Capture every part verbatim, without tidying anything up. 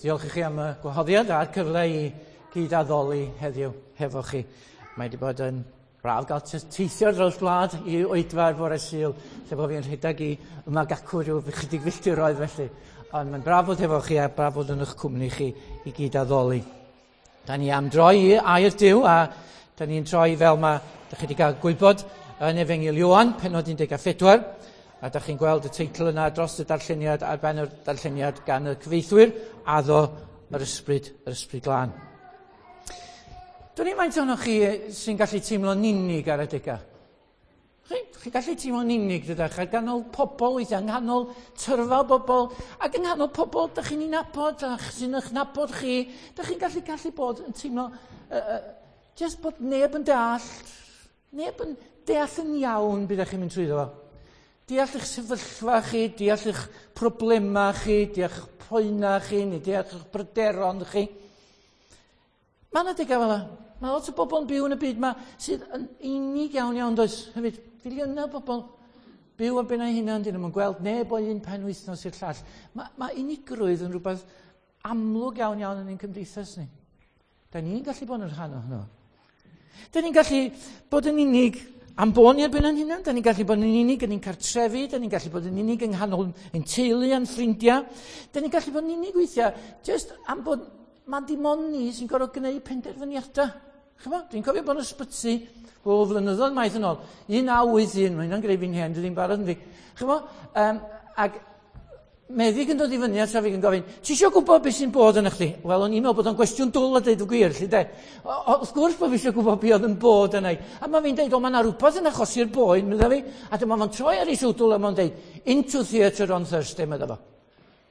Diolch i chi am y gwahoddiad a'r cyfle i gyd-addoli heddiw hefo chi. Mae wedi bod yn braf gael teithio dros gwlad i oedfa ar fore Sul, lle bod fi'n rhedeg i yma gacw rhyw chydig filltiroedd felly. Ond mae'n braf bod hefo chi a braf bod yn eich cwmni chi i gyd-addoli. Da ni am droi i air Duw, a da ni'n troi fel mae da chi wedi cael gwybod yn Efengyl Ioan, pennod un deg pedwar. A da chi'n gweld y teitl yna dros y darlleniad, ar ben yr darlleniad gan y cyfeithwyr, Addo yr Ysbryd, yr Ysbryd Glân. Dwi'n i'n faint ohonoch chi sy'n gallu teimlo'n unig ar adegau? Chi, chi'n gallu teimlo'n unig, dydach, ar ganol pobl weithiau, yng nghanol tyrfa o bobl, ac yng nghanol pobl dych chi'n ei nabod, a sy'n eich nabod chi, dych chi'n gallu gallu bod yn teimlo, uh, uh, just bod neb yn deall, neb yn deall yn iawn beth ydych chi'n mynd trwyddo fo. Deall eich sefyllfa chi, deall eich problemau chi, deall eich poenau chi, neu deall eich bryderon chi. Mae yna degau fel yna. Mae lot o bobl yn byw yn y byd yma sydd yn unig iawn iawn, does? Hefyd, filiynau o bobl byw ar ben eu hunan, dyn nhw'n gweld neb o un pen wythnos i'r llall. Mae, mae unigrwydd yn rhywbeth amlwg iawn iawn yn ein cymdeithas ni. Da ni'n gallu bod yn rhan ohono. Da ni'n gallu bod yn unig am bod ni ar ben ein hunan. Da ni'n gallu bod yn unig yn ein cartrefi, da ni'n gallu bod yn unig yng nghanol ein teulu a'n ffrindiau. Da ni'n gallu bod yn unig weithiau, just am bod mae dim ond ni sy'n gorfod gwneud penderfyniadau. Chymod? Dwi'n cofio bod yn ysbyty o flynyddoedd maith yn ôl. un naw wyth un, mae hynna'n greu fi'n hen, dwi ddim barod yn fi. Chymod? Um, ac meddyg yn dod i fyny at fi yn gofyn, ti eisiau gwybod beth sy'n bod yn chdi? Wel, o'n i'n meddwl bod o'n gwestiwn dwl a dweud y gwir, lly de. Wrth gwrs bod fi eisiau gwybod beth oedd yn bod yna. A mae fi'n dweud, o, mae yna rhywbeth yn achosi'r boen, medda fi. A dyma fo'n troi ar ei swdwl a mae'n dweud, into theatre on Thursday, medda fo.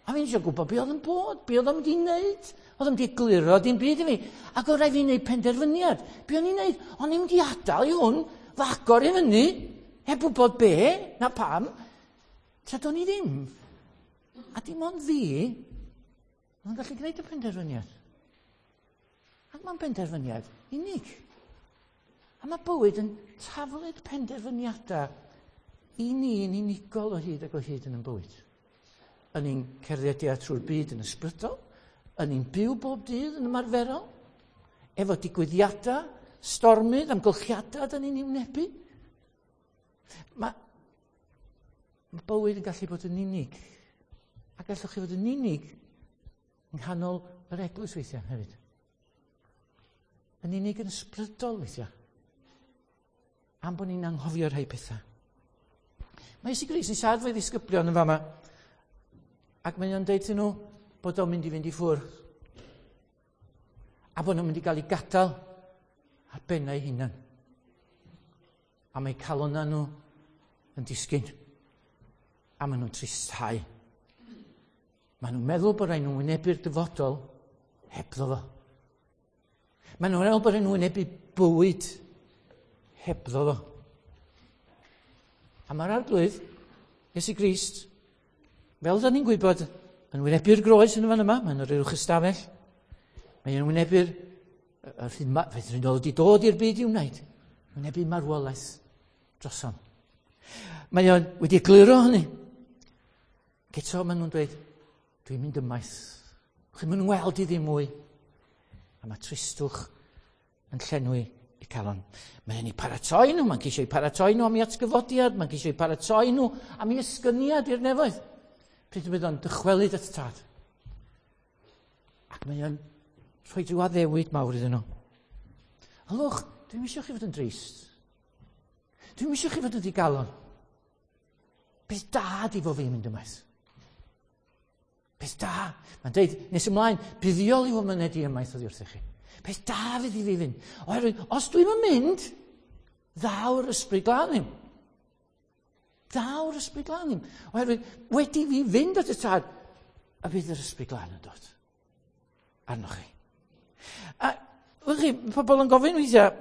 A fi'n eisiau gwybod beth oedd yn bod, beth oedd o'n mynd i wneud. Oedd o'n mynd i egluro dim byd i fi. Ac oedd rhaid fi wneud penderfyniad. Be o'n i'n wneud? O'n i'n mynd i adael i hwn, fagor i fyny, heb wybod be, na pam. Tra do'n i ddim. A dim ond fi, oedd yn gallu gwneud y penderfyniad. Ac mae'n penderfyniad unig. A mae bywyd yn taflud penderfyniadau i ni yn unigol o hyd ac o hyd yn ein bywyd. Yn ein cerddediad trwy'r byd yn ysbrydol, yn ein byw bob dydd yn ymarferol, efo digwyddiadau, stormydd, amgylchiadau dyn ni'n wynebu. Mae, mae bywyd yn gallu bod yn unig. A gallwch chi fod yn unig yng nghanol yr eglwys weithiau hefyd. Yn unig yn ysbrydol weithiau. Am bod ni'n anghofio rhai pethau. Mae Iesu Grist yn siarad efo'i ddisgyblion yn fama, ac mae o'n deud iddyn nhw bod o'n mynd i fynd i ffwrdd. A bod nhw'n mynd i gael ei gadael ar bennau eu hunan. A mae calonnau nhw yn disgyn. A maen nhw'n tristhau. Maen nhw'n meddwl bod rhaid nhw'n wynebu'r dyfodol hebddo fo. Maen nhw'n meddwl bod rhaid nhw'n wynebu bywyd hebddo fo. A mae'r Arglwydd, Iesu Grist, fel da ni'n gwybod, yn wynebu'r groes yn y fan yma, mae'n yr uwch ystafell. Mae'n wynebu'r yr hyn oedd wedi dod i'r byd i wneud. Wynebu marwolaeth drosom. Mae o'n wedi egluro hynny. Eto maen nhw'n dweud, dwi'n mynd ymaith. Chi'n mynd weld i ddim mwy. A mae tristwch yn llenwi i calon. Mae'n ei paratoi nhw, mae'n ceisio eu paratoi nhw am ei atgyfodiad, mae'n ceisio eu paratoi nhw am ei esgyniad i'r nefoedd. Pryd y bydd o'n dychwelyd at y tad. Ac mae o'n rhoi rhyw addewid mawr iddyn nhw. Ylwch, dwi'n eisiau chi fod yn drist. Dwi'n eisiau chi fod yn ddigalon. Beth da di fo fi'n mynd ymaith. Beth da. Mae'n deud, nes ymlaen, buddiol i fo myned i ymaith oddi wrthych chi. Beth da fydd i fi fynd. Oherwydd, os dwi'n mynd, ddaw'r Ysbryd Glân ddim. Daw'r Ysbryd Glân ddim. Oherwydd, wedi fi fynd at y tad, a bydd yr Ysbryd Glân yn dod arnoch chi. A, wch chi, pobl yn gofyn weithiau,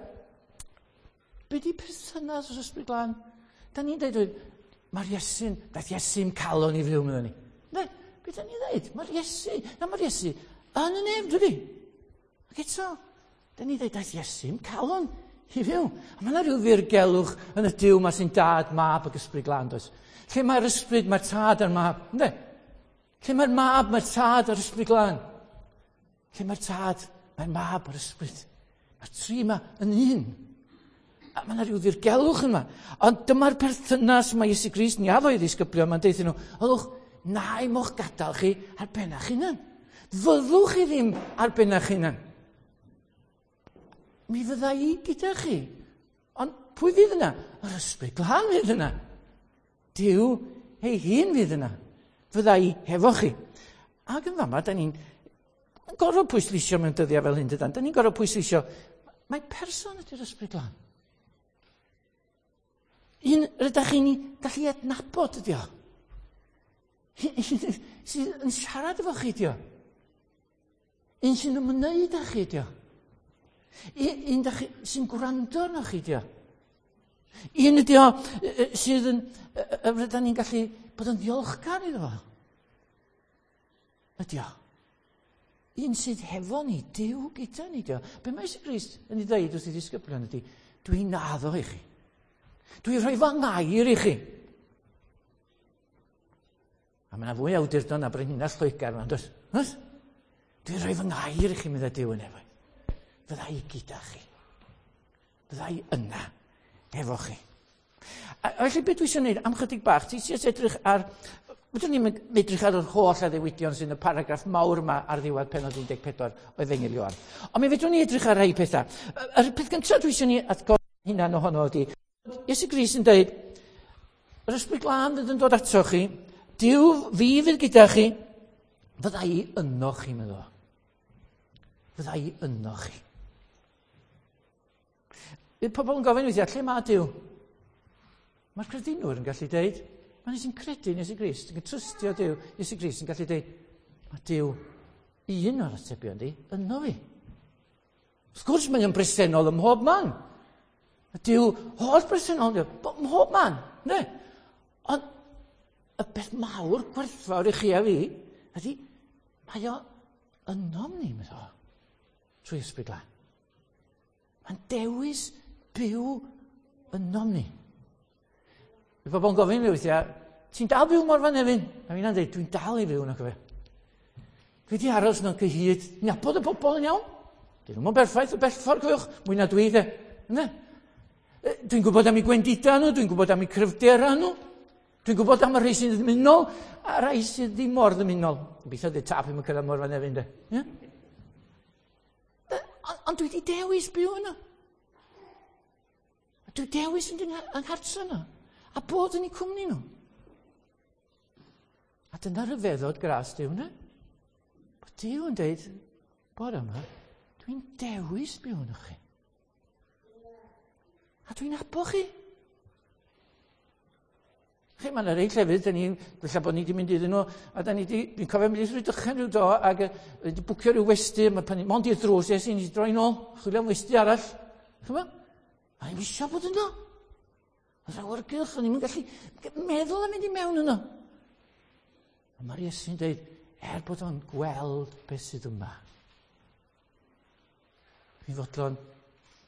be di perthynas yr Ysbryd Glân? Da ni'n dweud, mae'r Iesu'n, daeth Iesu'n calon i fyw, meddwn ni. Ne, be da ni'n dweud? Mae'r Iesu, na mae'r Iesu, yn y nef, dydy. Ac eto, da ni'n dweud, daeth Iesu'n calon i fyw. A mae yna rhyw ddirgelwch yn y Duw ma sy'n dad, mab ac Ysbryd Glân, does? Lle mae'r ysbryd, mae'r tad a'r mab, ynddo? Lle mae'r mab, mae'r tad a'r Ysbryd Glân. Lle mae'r Tad, mae'r Mab a'r Ysbryd. Mae'r tri yma yn un. A mae yna rhyw ddirgelwch yma. Ond dyma'r perthynas mae Iesu Grist ni addo i ddisgyblion, mae'n deuthyn nhw, ylwch, na i mo'ch gadael chi ar ben eich hunan. Fyddwch chi ddim ar ben eich hunan. Mi fydda i gyda chi. Ond pwy fydd yna? Yr Ysbryd Glân fydd yna. Duw ei hun fydd yna. Fydda i hefo chi. Ac yn fama, da ni'n gorfod pwysleisio mewn dyddiau fel hyn, dydan. Da ni'n gorfod pwysleisio, mae person ydy'r Ysbryd Glân. Un rydych chi'n gallu adnabod ydi o. Un sydd yn siarad efo chi ydi o. Un sy'n ymwneud â chi ydi o. Un, un sy'n gwrando arno chi ydi o. Un ydi o sydd yn, rydyn ni'n gallu bod yn ddiolchgar iddo fo. Ydi o. Un sydd hefo ni, Duw gyda ni ydi o. Be mae Iesu Grist yn ei ddeud wrth ei ddisgyblion ydi, dwi'n addo i chi. Dwi'n rhoi fy ngair i chi. A mae yna fwy awdurdod na brenhines Lloegr yma, does? Oes? Dwi'n rhoi fy ngair i chi, meddai Duw yn efo. Fydda i gyda chi. Fydda i yna efo chi. A felly beth dwi eisiau gwneud am chydig bach, ti eisiau edrych ar... Fydwn ni'n edrych ar yr holl addewidion sy'n y paragraff mawr yma ar ddiwedd pennod un deg pedwar o Efengyl Ioan. Ond mi fedrwn ni edrych ar rai pethau. Yr peth gyntaf dwi eisiau ni atgoffa hunan ohono ydy, Iesu Grist yn dweud, yr Ysbryd Glân fydd yn dod ato chi, Duw fi fydd gyda chi, fydda i yno chi, meddwl. Fydda i yno chi. Bydd pobl yn gofyn weithiau, lle mae Duw? Mae'r credinwr yn gallu deud, mae'n sy'n credu yn Iesu Grist, yn trystio Duw, Iesu Grist yn gallu deud, mae Duw un o'r atebion di, yno fi. Wrth gwrs mae o'n bresennol ym mhob man. Mae Duw holl bresennol, ym mhob man, ne? Ond y beth mawr gwerthfawr i chi a fi, ydy, mae o ynom ni, meddwl, trwy Ysbryd Glân. Mae'n dewis byw ynom ni. Bydd bobl yn gofyn mi weithiau, ti'n dal byw Morfa Nefyn? A fi'n dweud, dwi'n dal i fyw yna, cofio. Dwi wedi aros yna cyhyd, nabod y bobl yn iawn. Dyn nhw'n berffaith o bell ffordd, cofiwch, mwy na dwi, de. Ne? Dwi'n gwybod am eu gwendidau nhw, dwi'n gwybod am eu cryfderau nhw. Dwi'n gwybod am y rhai sy'n ddymunol a rhai sydd ddim mor ddymunol. Gobeithio dweud tap i'm yn cyrraedd Morfa Nefyn, de. Yeah? Ond dwi wedi dewis byw yna. A dwi dewis yn yng nghartre yna. A bod yn eu cwmni nhw. A dyna rhyfeddod gras Duw, ne? Bod Duw yn deud, bore yma, dwi'n dewis byw yno chi. A dwi'n abo chi. Chi, mae yna rei llefydd, da ni, felly bod ni wedi mynd iddyn nhw, a da ni wedi, dwi'n cofio mynd i Rhydychen rhyw do, ac wedi bwcio rhyw westy, mae pan, mond i'r drws, es i, nes i droi nôl, chwilio am westy arall. Chymod? A ni'n eisiau bod yno. Oedd awyrgylch, o'n i'n gallu meddwl am mynd i mewn yno. A mae'r Iesu'n dweud, er bod o'n gweld beth sydd yma, fi'n fodlon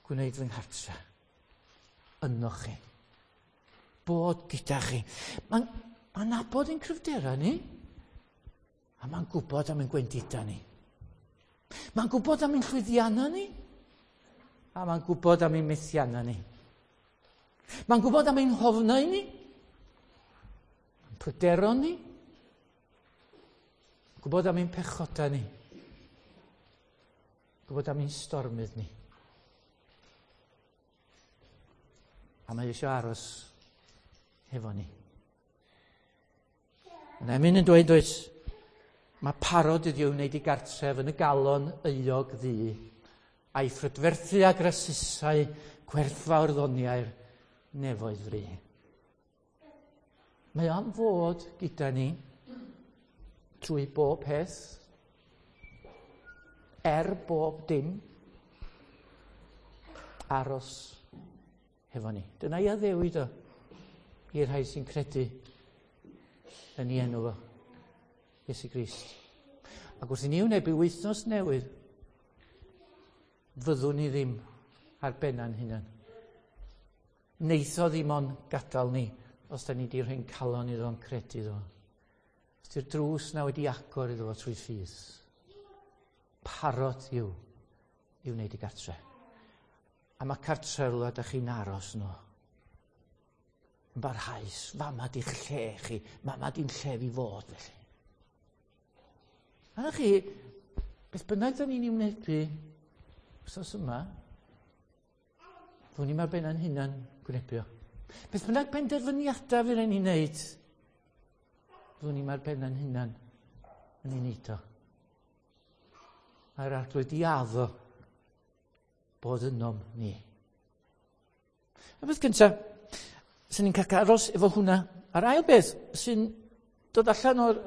gwneud fy nghartre yno chi. Bod gyda chi. Mae'n ma nabod ein cryfderau ni, a mae'n gwybod am ein gwendidau ni. Mae'n gwybod am ein llwyddiannau ni, a mae'n gwybod am ein methiannau ni. Mae'n gwybod am ein hofnau ni, ein pryderon ni, gwybod am ein pechodau ni, gwybod am ein stormydd ni. A mae eisiau aros hefo ni. Yna emyn yn dweud, does, mae parod ydi o wneud i gartref yn y galon euog ddu, a'i phrydferthu a grasusau gwerthfawr ddoniau'r nefoedd fri. Mae am fod gyda ni trwy bob peth, er bob dim, aros hefo ni. Dyna i addewid o i'r rhai sy'n credu yn ei enw fo, Iesu Grist. Ac wrth i ni wynebu wythnos newydd, fyddwn ni ddim ar benna'n hunan. Neith o ddim ond gadael ni os da ni wedi rhoi'n calon iddo o'n credu iddo. Os di'r drws na wedi agor iddo fo trwy ffydd. Parod yw i wneud i gartre. A mae cartre rhywle da chi'n aros nhw. Yn barhaus, fama di'ch lle chi, fama di'n lle fi fod felly. A na chi, beth bynnag da ni'n ei wneud wsos yma, fwn i'n ar ben ein hunan gwynebu o. Beth bynnag benderfyniadau fydd rhaid ni'n neud, fwn i'n ar ben ein hunan yn ei wneud o. Mae'r Arglwydd di addo bod ynom ni. Y beth cyntaf, sy'n ni'n cael aros efo hwnna. A'r ail beth sy'n dod allan o'r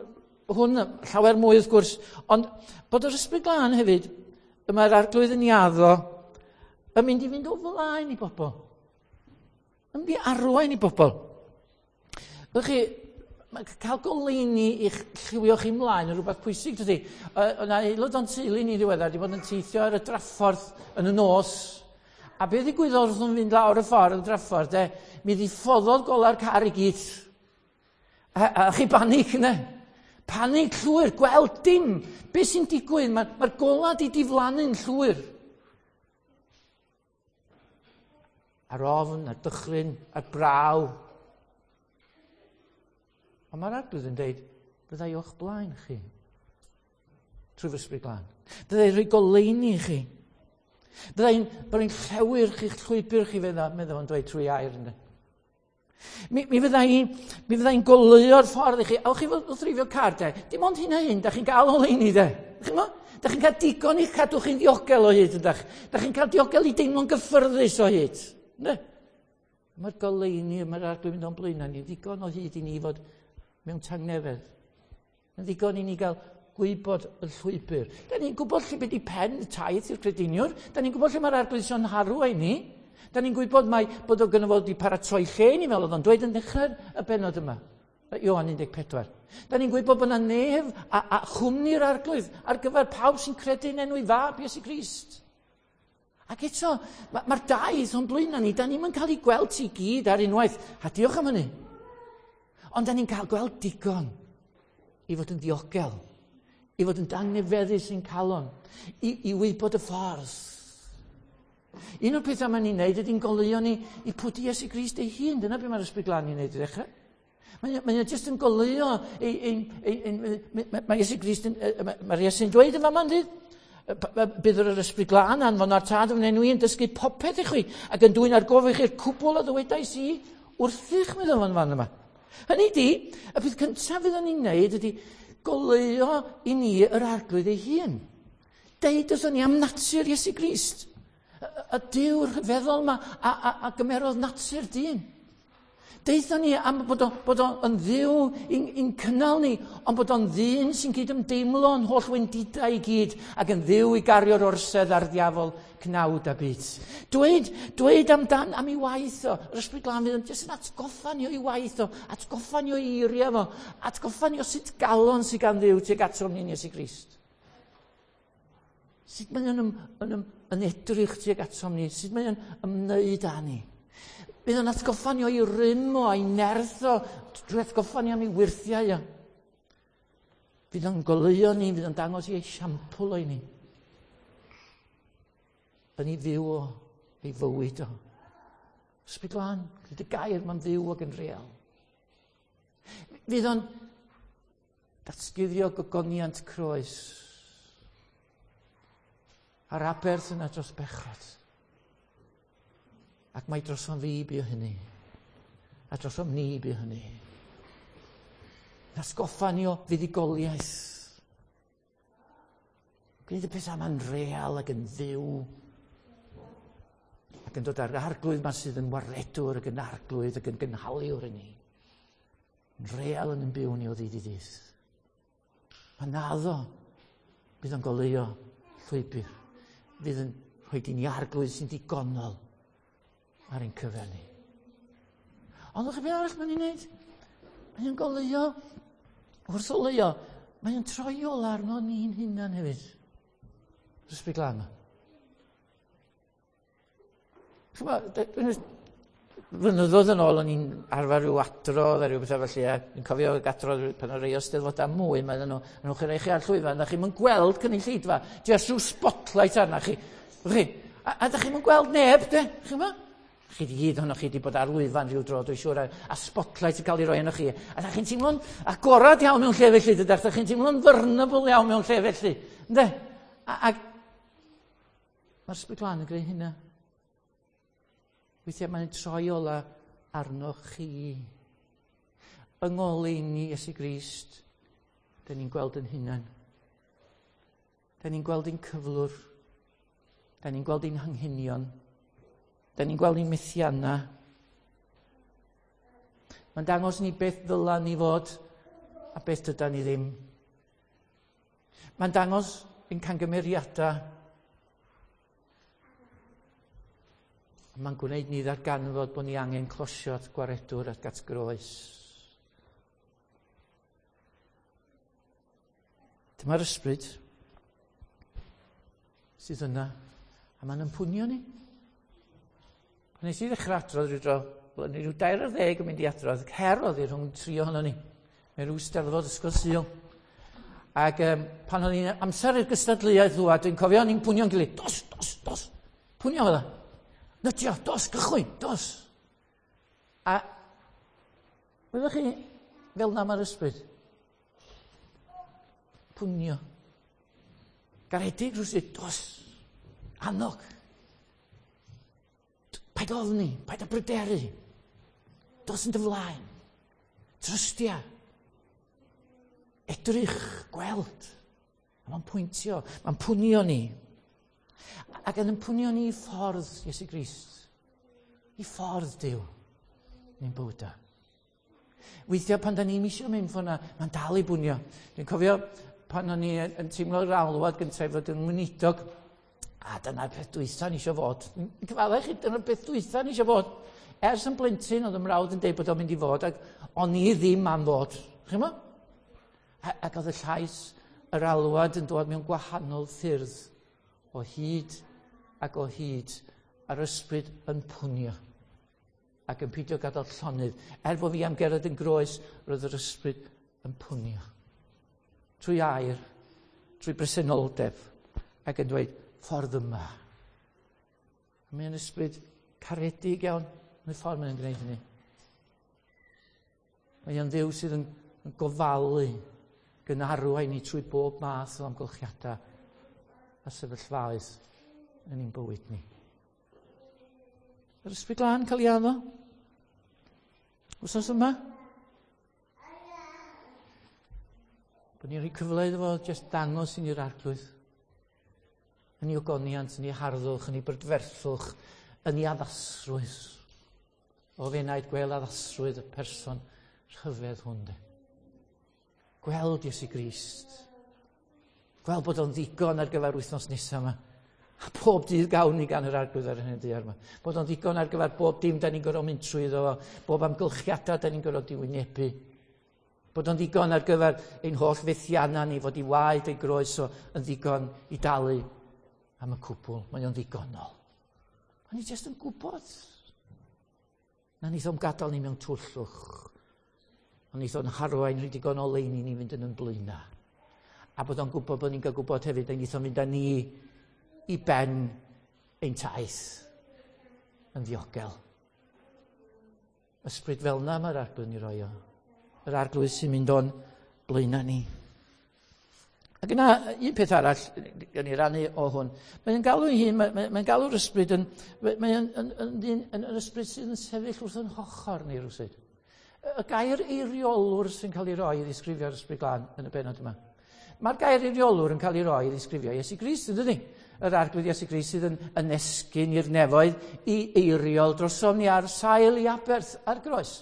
hwn, llawer mwy wrth gwrs, ond bod yr Ysbryd Glân hefyd, y mae'r Arglwydd yn ei addo, yn mynd i fynd o flaen i bobl. Yn mynd i arwain i bobl. Ydych chi, mae cael goleuni i'ch lliwio chi mlaen yn rhywbeth pwysig, dydy. Yna aelod o'n teulu ni ddiweddar wedi bod yn teithio ar y draffordd yn y nos. A beth ddigwyddodd wrth nhw'n fynd lawr y ffordd y draffordd, de, mi ddiffoddodd gola'r car i gyd. A, a chi banig yna. Panig llwyr, gweld dim. Be sy'n digwydd? Mae'r ma gola di diflannu'n llwyr. A'r ofn, a'r dychryn, a'r braw. Ond mae'r Arglwydd yn dweud, byddai o'ch blaen chi, trwy fy Ysbryd Glân. Byddai rhoi goleuni i chi. Byddai'n byddai llewyr chi'ch llwybr chi, meddwl yn dweud trwy air ynddo. Mi, mi fyddai'n mi fyddai goleuo'r ffordd i chi. Awch chi wrth ddreifio car, de. Dim ond hyn a hyn, da chi'n gael oleuni, de. Chi'n mo? Da chi'n cael digon i'ch cadw chi'n ddiogel o hyd, ydach. Da chi'n cael diogel i deimlo'n gyffyrddus o hyd. Ne? Mae'r goleuni, mae'r Arglwydd mynd o'n blaenau ni, ddigon o hyd i ni fod mewn tangnefedd. Yn ddigon i ni gael gwybod y llwybr. Da ni'n gwybod lle beth i pen y taith i'r crediniwr. Da ni'n gwybod lle mae'r Arglwydd sy'n harw i ni. Da ni'n gwybod mai bod o gynno fo wedi paratoi lle i ni fel oedd o'n dweud yn dechrau'r y bennod yma. Ioan un deg pedwar. Da ni'n gwybod bod yna nef a, a chwmni'r Arglwydd ar gyfer pawb sy'n credu yn enw ei fab Iesu Grist. Ac eto, mae'r ma daith o'n blaenau ni, da ni'n cael ei gweld ti gyd ar unwaith. A diolch am hynny. Ond da ni'n cael gweld digon i fod yn ddiogel, i fod yn dangnefeddus i'n calon, i, i wybod y ffordd. Un o'r pethau mae'n ni'n neud ydy'n goleuo ni i pwdi Iesu Grist ei hun. Dyna beth mae'r Ysbryd Glân i'n neud i ddechrau. Mae, mae jyst yn goleuo, ei, ei, ei, ei, mae Iesu Grist, yn, mae'r Iesu'n dweud yn fama, ynddi? Bydd yr Ysbryd Glân anfon a'r Tad yn enw i yn dysgu popeth i chwi ac yn dwyn ar gof i chi'r cwbl a ddywedais i wrthych, meddwl fan fan yma. Hynny di, y peth cyntaf fydd ni'n neud ydy goleuo i ni yr Arglwydd ei hun. Deud wrthon ni am natur Iesu Grist. Y, y Duw rhyfeddol yma a, a, a gymerodd natur dyn. Deuthon ni am bod o, bod o yn Dduw i'n, i'n cynnal ni, ond bod o'n ddyn sy'n cydymdeimlo yn holl wendidau i gyd ac yn Dduw i gario'r orsedd ar ddiafol cnawd a byd. Dweud, dweud amdan am ei waith o, yr Ysbryd Glân fydd yn jyst yn atgoffa ni o'i waith o, atgoffa ni o'i eiriau fo, atgoffa ni o sut galon sydd gan Dduw tuag atom ni'n Iesu Grist. Sut mae o'n yn, yn, yn edrych tuag atom ni, sut mae o'n ymwneud â ni. Bydd o'n atgoffa ni o'i rym o, a'i nerth o, drwy atgoffa ni am ei wyrthiau o. Fydd o'n goleuo ni, fydd o'n dangos i esiampl o'i ni. Yn ei fyw o, ei fywyd o. Ysbryd Glân, gyda gair mae'n fyw ac yn real. Fydd o'n datguddio gogoniant croes a'r aberth yna dros bechod. Ac mae drosom fi bu hynny. A drosom ni bu hynny. Nasgoffa ni o fuddugoliaeth. Gwneud y pethau yma'n real ac yn fyw. Ac yn dod â'r Arglwydd yma sydd yn waredwr ac yn arglwydd ac yn gynhaliwr i ni. Yn real yn yn byw ni o ddydd i ddydd. Mae'n addo bydd o'n goleuo llwybr. Fydd yn rhoi i ni Arglwydd sy'n digonol ar ein cyfer ni. Ond o'ch chi beth arall mae'n ei wneud? Mae'n goleuo, wrth oleuo, mae'n troi ola arno ni'n hunan hefyd. Ysbryd Glân yma. Chymod, Flynyddoedd yn ôl o'n i'n arfer rhyw adrodd a rhyw bethau felly, a dwi'n cofio adrodd pan o'n rei o steddfodau mwy, mae nhw, nhw'n chi rei chi ar llwyfan, da chi'n gweld cynulleidfa, jyst rhyw spotlight arna chi. Chi, a, a da chi'n gweld neb, de? Chi'n gwybod? Chi di gyd ohonoch chi wedi bod ar lwyfan rhyw dro, dwi'n siŵr, a, a spotlight yn cael ei roi arnoch chi. A da chi'n teimlo'n agorad iawn mewn lle felly, dydach? Da chi'n teimlo'n vulnerable iawn mewn lle felly. Ynde? A, a mae'r Ysbryd Glân yn gwneud hynna. Weithiau mae'n troi ola arnoch chi. Yng ngoleuni Iesu Grist, da ni'n gweld yn hunan. Da ni'n gweld ein cyflwr. Da ni'n gweld ein hanghenion. Da ni'n gweld ein methiannau. Mae'n dangos ni beth ddyla ni fod a beth dyda ni ddim. Mae'n dangos ein cangymeriadau. Mae'n gwneud ni ddarganfod bod ni angen closio at gwaredwr at at groes. Dyma'r ysbryd sydd yna, a mae'n ympunio ni. Pan nes i ddechrau adrodd rhyw dro, o'n i rhyw dair ar ddeg yn mynd i adrodd, her oedd hi rhwng tri ohono ni. Mewn rhyw steddfod ysgol Sul. Ac um, pan o'n i'n amser i'r gystadleuaeth ddŵad, dwi'n cofio o'n i'n pwnio'n gilydd, dos, dos, dos, pwnio fydda. Nytio, dos, gychwyn, dos. A wyddoch chi, fel na mae'r ysbryd. Pwnio. Garedig rhywsut, dos. Annog. Paid ofni, paid â bryderu. Dos yn dy flaen. Trystia. Edrych, gweld. A mae'n pwyntio, mae'n pwnio ni. Ac yn ympunio ni i ffordd Iesu Grist, i ffordd Duw, ni'n bywydau. Weithiau pan da ni'n isio mynd ffordd na, mae'n dal i bwnio. Dwi'n cofio pan o'n i yn teimlo'r alwad gyntaf i fod yn weinidog, a dyna'r peth dwytha ni isio fod. Cyfaddau chi, dyna'r peth dwytha ni isio fod. Ers yn blentyn, oedd y mrawd yn deud bod o'n mynd i fod, ac o'n i ddim am fod. Chi'n mo? Ac oedd y llais, yr alwad yn dod mewn gwahanol ffyrdd o hyd ac o hyd, a'r ysbryd yn pwnio ac yn peidio gadael llonydd. Er bod fi am gerdded yn groes, roedd yr ysbryd yn pwnio. Trwy air, trwy bresenoldeb, ac yn dweud, ffordd yma. A mae'n ysbryd caredig iawn yn y ffordd mae'n gwneud hynny. Mae o'n Dduw sydd yn, yn gofalu, gan arwain ni trwy bob math o amgylchiadau a sefyllfaoedd yn ein bywyd ni. Yr Ysbryd Glân cael ei addo. Wsos yma. Bod ni'n rhoi cyfle iddo fo jyst dangos i ni'r Arglwydd. Yn ei ogoniant, yn ei harddwch, yn ei brydferthwch, yn ei addasrwydd. O fenaid gweld addasrwydd y person rhyfedd hwn de. Gweld Iesu Grist. Gweld bod o'n ddigon ar gyfer wythnos nesaf yma. A pob dydd gawn ni gan yr Arglwydd ar hyn y daear yma. Bod o'n ddigon ar gyfer bob dim da ni'n gorfod mynd trwyddo fo, bob amgylchiadau da ni'n gorfod diwynebu. Bod o'n ddigon ar gyfer ein holl fethiannau ni, fod i waed ei groes o yn ddigon i dalu am y cwbl. Mae o'n ddigonol. A ni jyst yn gwybod na neith o'm gadael ni mewn twllwch. Ond neith o'n harwain rhy digon o leini ni fynd yn yn blaenau. A bod o'n gwybod bod ni'n cael gwybod hefyd, a neith o'n mynd â ni i ben ein taith yn ddiogel. Ysbryd fel na mae'r Arglwydd ni roi o. Yr Arglwydd sy'n mynd o'n blaenau ni. Ac yna, un peth arall, gan i rannu o hwn, mae'n galw ei hun, mae'n mae galw'r ysbryd yn, mae'n yn, yn, yn, yn, yn ysbryd sydd yn sefyll wrth yn hochr ni rywsut. Y gair eiriolwr sy'n cael ei roi i ddisgrifio'r Ysbryd Glân yn y bennod yma. Mae'r gair eiriolwr yn cael ei roi i ddisgrifio Iesu Grist, yn dydi? Yr Arglwydd Iesu Grist sydd yn, yn esgyn i'r nefoedd i eiriol drosom ni ar sail i aberth ar groes.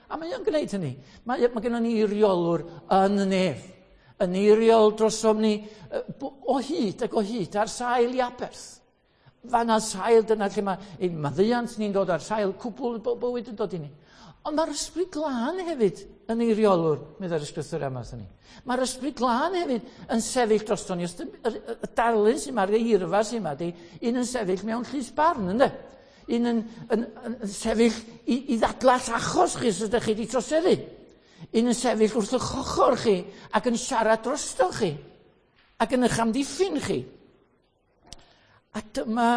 A mae o'n gwneud hynny. Mae, mae gennym ni eiriolwr yn y nef. Yn eiriol drosom ni o hyd ac o hyd ar sail i aberth. Fanna sail, dyna lle mae ein maddeuant ni'n dod ar sail cwbl bywyd yn dod i ni. Ond mae'r Ysbryd Glân hefyd yn eiriolwr, meddai'r ysgrythur yma wrthon ni. Mae'r Ysbryd Glân hefyd yn sefyll drosto ni. Y, y, y darlun sy'n ma'r eirfa sy'n ma, di un yn sefyll mewn llys barn, ynddo? Un yn, yn, yn, yn sefyll i, i ddadlall achos chi os ydych chi wedi troseddu. Un yn sefyll wrth eich ochr chi ac yn siarad drosto chi ac yn eich amddiffyn chi. A dyma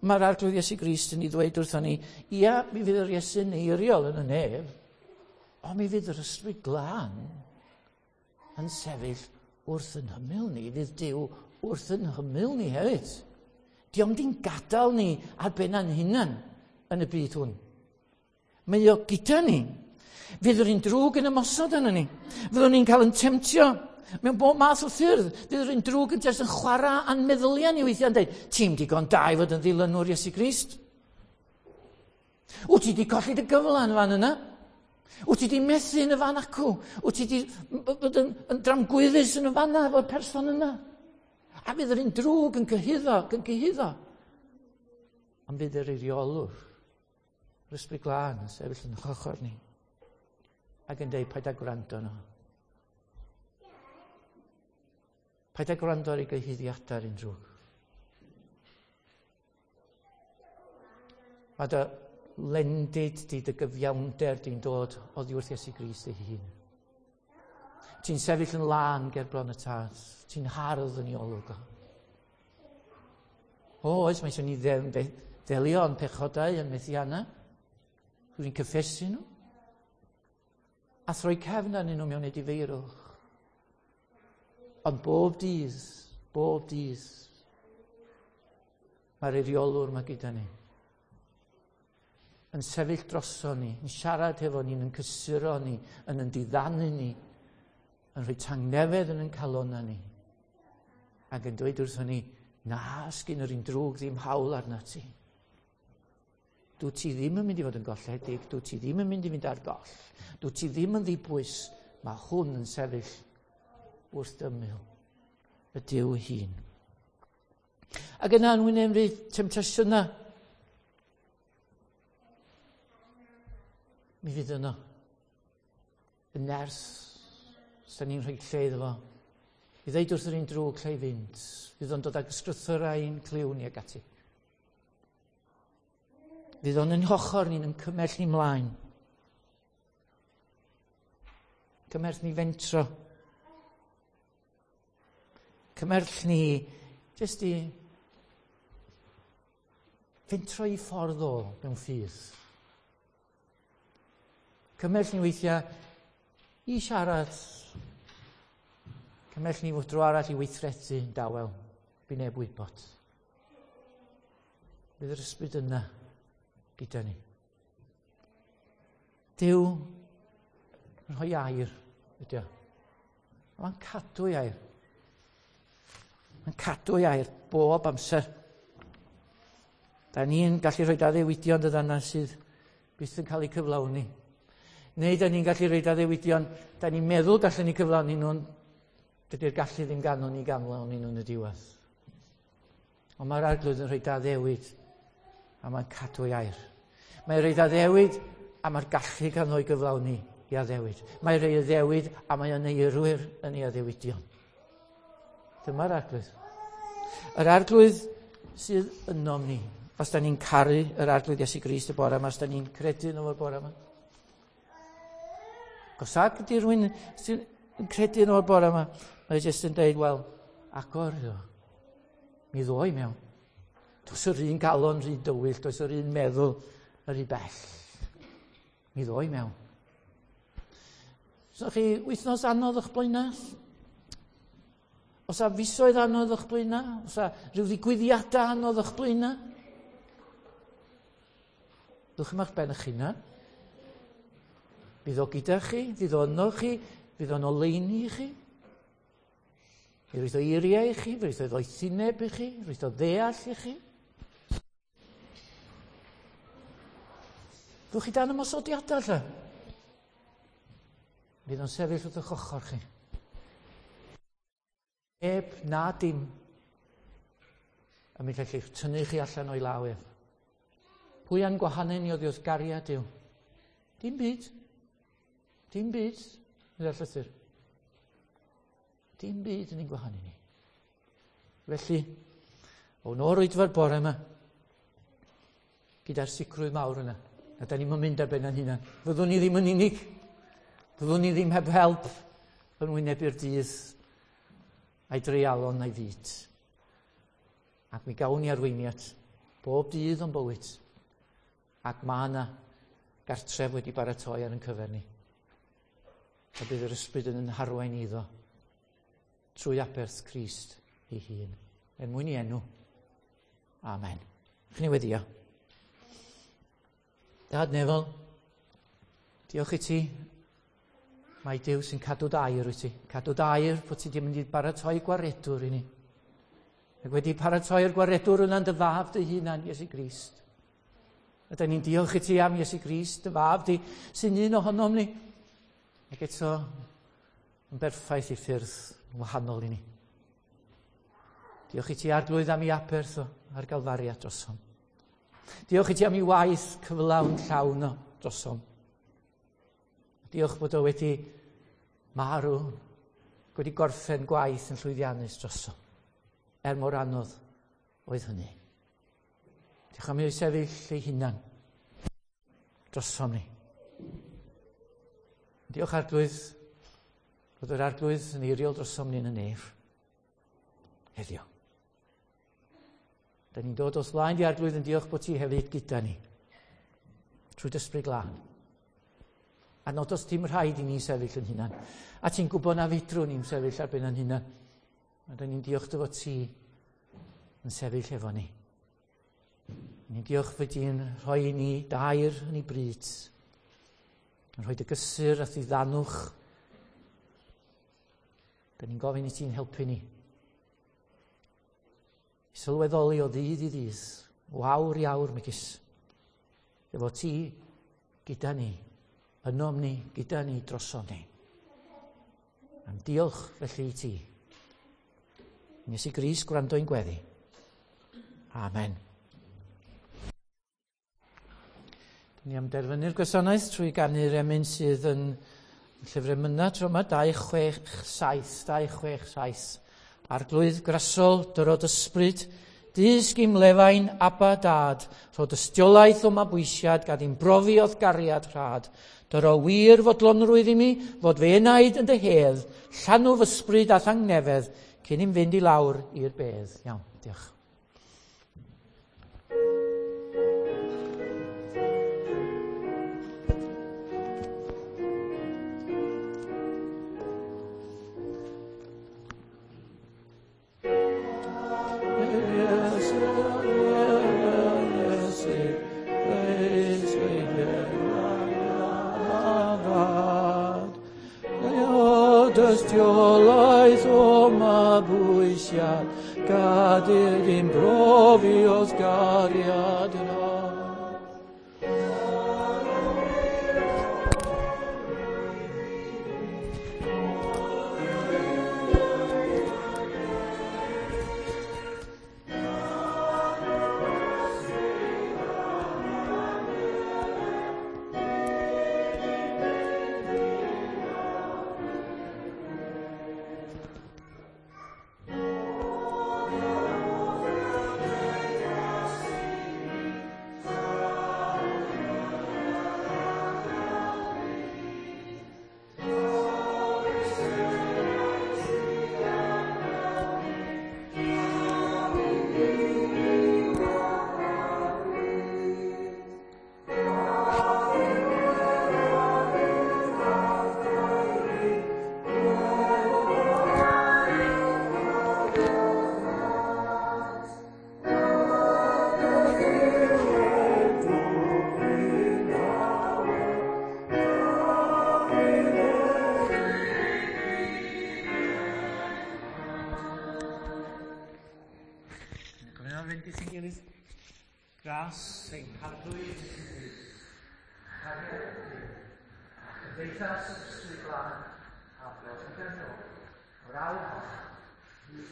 mae'r Arglwydd Iesu Grist yn ei ddweud wrthon ni, ia, mi fydd yr Iesu'n eiriol yn y nef, ond mi fydd yr Ysbryd Glân yn sefyll wrth yn hymyl ni, fydd Duw wrth yn hymyl ni hefyd. Dio'm di'n gadael ni ar ben ein hunan yn y byd hwn. Mae o gyda ni. Fydd yr un drwg yn ymosod arno ni. Fyddwn ni'n cael yn temtio mewn bob math o ffyrdd. Fydd yr un drwg yn jyst yn chwarae a'n meddyliau ni weithiau yn dweud, ti'n digon da i fod yn ddilynwr Iesu Grist. Wyt ti wedi colli dy gyfle yn fan yna? Wyt ti wedi methu yn y fan acw? Wyt ti wedi bod yn, yn dramgwyddus yn y fan yna efo'r person yna? A fydd yr un drwg yn cyhuddo, yn cyhuddo. Ond fydd yr eiriolwr, yr Ysbryd Glân yn sefyll yn ochr ni ac yn dweud, paid â gwrando yno. Paid â gwrando ar ei gyhuddiadau ar un drwg. Mae dy lendid di, dy gyfiawnder di'n dod oddi wrth Iesu Grist ei hun. Ti'n sefyll yn lân ger bron y Tad. Ti'n hardd yn ei olwg o. O, oes, mae eisiau ni ddelio yn pechodau yn methiannau. Dwi'n cyffesu nhw. A throi cefn arnyn nhw mewn edifeirwch. Ond bob dydd, bob dydd, mae'r eiriolwr yma gyda ni. Yn sefyll droso ni, yn siarad hefo ni, yn cysuro ni, yn yn diddanu ni, yn rhoi tangnefedd yn yn calonna ni. Ac yn dweud wrthon ni, na, sgyn yr un drwg ddim hawl arna ti. Dwi ti ddim yn mynd i fod yn golledig, dwi ti ddim yn mynd i fynd ar goll, dwi ti ddim yn ddibwys, mae hwn yn sefyll wrth ymyl y Duw hun. Ac yna yn wynebu temtasiynau, mi fydd yno y nerth sy'n ni'n rhoi lle iddo fo. I ddeud wrth yr un drwg lle i fynd, fydd o'n dod ag ysgrythurau i'n clyw ni ag ati. Fydd o'n yn hochr ni'n yn cymell ni mlaen. Cymell ni fentro. Cymell ni jyst i fentro i ffordd o mewn ffydd. Cymell ni weithiau i siarad. Cymell ni fod dro arall i weithredu yn dawel. By neb wybod. Bydd yr ysbryd yna gyda ni. Duw yn rhoi air ydy o. Mae'n cadw ei air. Mae'n cadw ei air bob amser. Da ni'n gallu rhoi addewidion dydan sydd byth yn cael eu cyflawni. Neu da ni'n gallu rhoi addewidion, da ni'n meddwl gallen ni cyflawni nhw'n, dydy'r gallu ddim ganon ni ganlawni nhw'n y diwedd. Ond mae'r Arglwydd yn rhoi addewid a mae'n cadw ei air. Mae'n rhoi addewid a mae'r gallu ganddo i gyflawni i addewid. Mae'n rhoi addewid a mae o'n eirwyr yn ei addewidion. Dyma'r Arglwydd. Yr Arglwydd sydd ynom ni. Os da ni'n caru yr Arglwydd Iesu Grist y bore yma, os da ni'n credu yn o'r bore yma. Os ag ydy rhywun sy'n credu yn o'r bore yma, mae jyst yn dweud, wel, agor iddo. Mi ddoi mewn. Does yr un galon rhy dywyll, does yr un meddwl yr un bell. Mi ddoi mewn. So chi wythnos anodd o'ch blaenau? Os a fisoedd anodd o'ch blaenau? Os a rhyw ddigwyddiadau anodd o'ch blaenau? Dwch yma ben eich hunan. Fydd o gyda chi, fydd o yno chi, fydd o'n oleuni i chi. Mi roedd o eiriau i chi, mi roedd o ddoethineb i chi, roedd o ddeall i chi. Ddwch chi dan ymosodiadau lle? Fydd o'n sefyll wrth eich ochr chi. Neb na dim yn mynd allu tynnu chi allan o'i law ef. Pwy a'n gwahanu ni oddi wrth gariad Duw? Dim byd. Dim byd, meddai'r llythyr. Dim byd yn ein gwahanu ni. Felly, o'n o'r oedfa'r bore yma, gyda'r sicrwydd mawr yna. A da ni'n mynd ar ben ein hunan. Fyddwn ni ddim yn unig. Fyddwn ni ddim heb help yn wynebu'r dydd a'i dreialon a'i fyd. Ac mi gawn ni arweiniad bob dydd o'n bywyd. Ac mae yna gartref wedi baratoi ar ein cyfer ni. A bydd yr ysbryd yn ein harwain iddo trwy aberth Crist ei hun. Er mwyn i enw. Amen. Chi'n ei weddio. Dad nefol, diolch i ti. Mae Duw sy'n cadw dair wyt ti. Cadw dair bod ti wedi mynd i baratoi gwaredwr i ni. Ac wedi paratoi'r gwaredwr yna'n dy fab dy hunan, Iesu Grist. A da ni'n diolch i ti am Iesu Grist, dy fab di, sy'n un ohonom ni. Ac eto, yn berffaith i ffyrdd wahanol i ni. Diolch i ti Arglwydd am ei aberth o ar Galfaria drosom. Diolch i ti am ei waith cyflawn llawn o drosom. Diolch bod o wedi marw, wedi gorffen gwaith yn llwyddiannus drosom. Er mor anodd oedd hynny. Diolch am ei sefyll ei hunan drosom ni. Diolch Arglwydd bod yr Arglwydd yn eiriol drosom ni yn y nef heddiw. Da ni'n dod o'th flaen di Arglwydd yn diolch bod ti hefyd gyda ni trwy dy Ysbryd Glân. A nad oes dim rhaid i ni sefyll yn hunan. A ti'n gwybod na fedrwn ni'n sefyll ar ben yn hunan. A da ni'n diolch dy fod ti yn sefyll efo ni. Ni'n diolch fod ti'n rhoi i ni dair yn ei bryd. Yn rhoi dy gysur a ddiddanwch. Da ni'n gofyn i ti'n helpu ni. I sylweddoli o ddydd i ddydd, o awr i awr, megis. Efo ti gyda ni, ynom ni, gyda ni, drosom ni. Am diolch felly i ti. Nes i Grist gwrando i'n gweddi. Amen. Ni am derfynu'r gwasanaeth trwy ganu'r emyn sydd yn llyfr emynau tro yma, dau chwech saith, dau chwech saith. Arglwydd grasol, dyrod ysbryd, dysg i'm lefain, Abba dad, rho dystiolaeth o mabwysiad, gad i'm brofi o'th gariad rhad. Dyro wir fodlonrwydd i mi, fod fy enaid yn dy hedd, llanw fy ysbryd a thangnefedd, cyn i'm fynd i lawr i'r bedd. Iawn, diolch. Dystiolaeth o mabwysiad, gad i'r brofi o'th gariad rhad. Gras ein Harglwydd Iesu Grist, cariad Duw, a chymdeithas yr Ysbryd Glân, a dros y o'r awr hon, hyd